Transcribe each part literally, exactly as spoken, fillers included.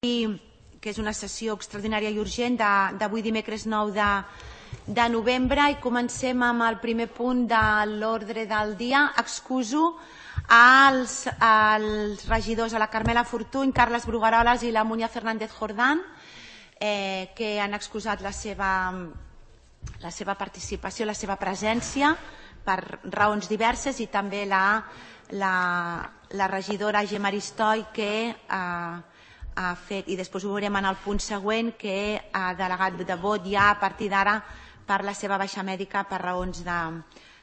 que és una sessió extraordinària i urgent d'avui dimecres nou de novembre, i comencem amb el primer punt de l'ordre del dia. Excuso als, als regidors, a la Carmela Fortuny, Carles Brugueroles i la Muña Fernández Jordán, eh, que han excusat la seva, la seva participació, la seva presència per raons diverses, i també la, la, la regidora Gemma Aristoi, que eh, ha fet, i després ho veurem en el punt següent, que ha delegat de vot ja a partir d'ara per la seva baixa mèdica per raons de,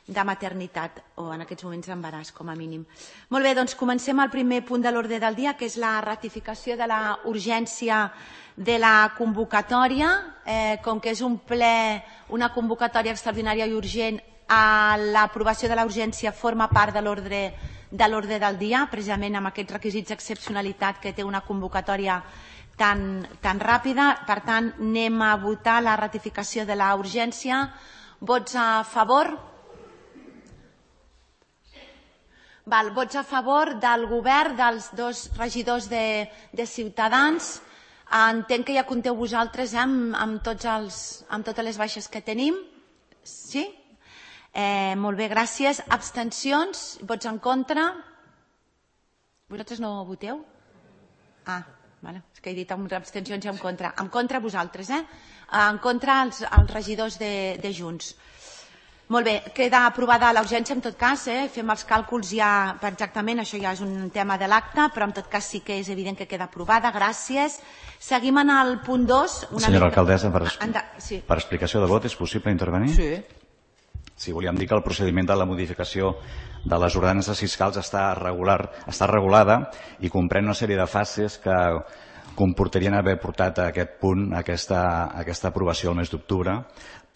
de maternitat, o en aquests moments d'embaràs, com a mínim. Molt bé, doncs comencem el primer punt de l'ordre del dia, que és la ratificació de la urgència de la convocatòria. Eh, com que és un ple, una convocatòria extraordinària i urgent, a l'aprovació de la urgència forma part de l'ordre de l'ordre del dia, precisament amb aquests requisits d'excepcionalitat que té una convocatòria tan, tan ràpida. Per tant, anem a votar la ratificació de la urgència. Vots a favor? Val, vots a favor del govern, dels dos regidors de, de Ciutadans. Entenc que ja compteu vosaltres eh, amb, amb, tots els, amb totes les baixes que tenim. Sí? Eh, molt bé, gràcies. Abstencions? Vots en contra? Vosaltres no voteu? Ah, vale. És que he dit amb abstencions i en contra. En contra vosaltres, eh? En contra els, els regidors de, de Junts. Molt bé, queda aprovada la urgència en tot cas, eh? Fem els càlculs ja per exactament, això ja és un tema de l'acte, però en tot cas sí que és evident que queda aprovada. Gràcies. Seguim en el punt dos. Senyora alcaldessa, per, sí. per explicació de vot, és possible intervenir? Sí. Sí, volíem dir que el procediment de la modificació de les ordenances fiscals està, regular, està regulada i comprèn una sèrie de fases que comportarien haver portat a aquest punt, a aquesta, a aquesta aprovació el mes d'octubre,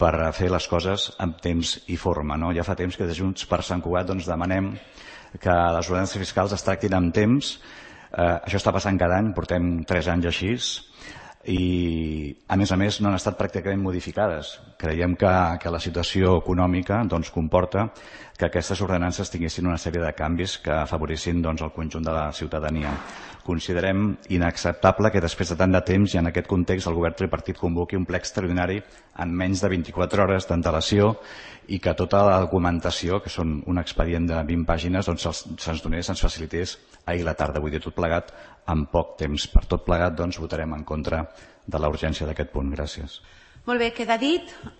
per fer les coses en temps i forma. No? Ja fa temps que de Junts per Sant Cugat doncs, demanem que les ordenances fiscals es tractin amb temps. Eh, això està passant cada any, portem tres anys així, i a més a més no han estat pràcticament modificades. Creiem que, que la situació econòmica doncs, comporta que aquestes ordenances tinguessin una sèrie de canvis que afavorissin doncs, el conjunt de la ciutadania. Considerem inacceptable que després de tant de temps i en aquest context el govern tripartit convoqui un ple extraordinari en menys de vint-i-quatre hores d'antelació i que tota la documentació, que són un expedient de vint pàgines, doncs se'ns donés, se'ns facilités ahir a la tarda. Vull dir, tot plegat en poc temps. Per tot plegat doncs, votarem en contra de la urgència d'aquest punt. Gràcies. Molt bé, queda dit.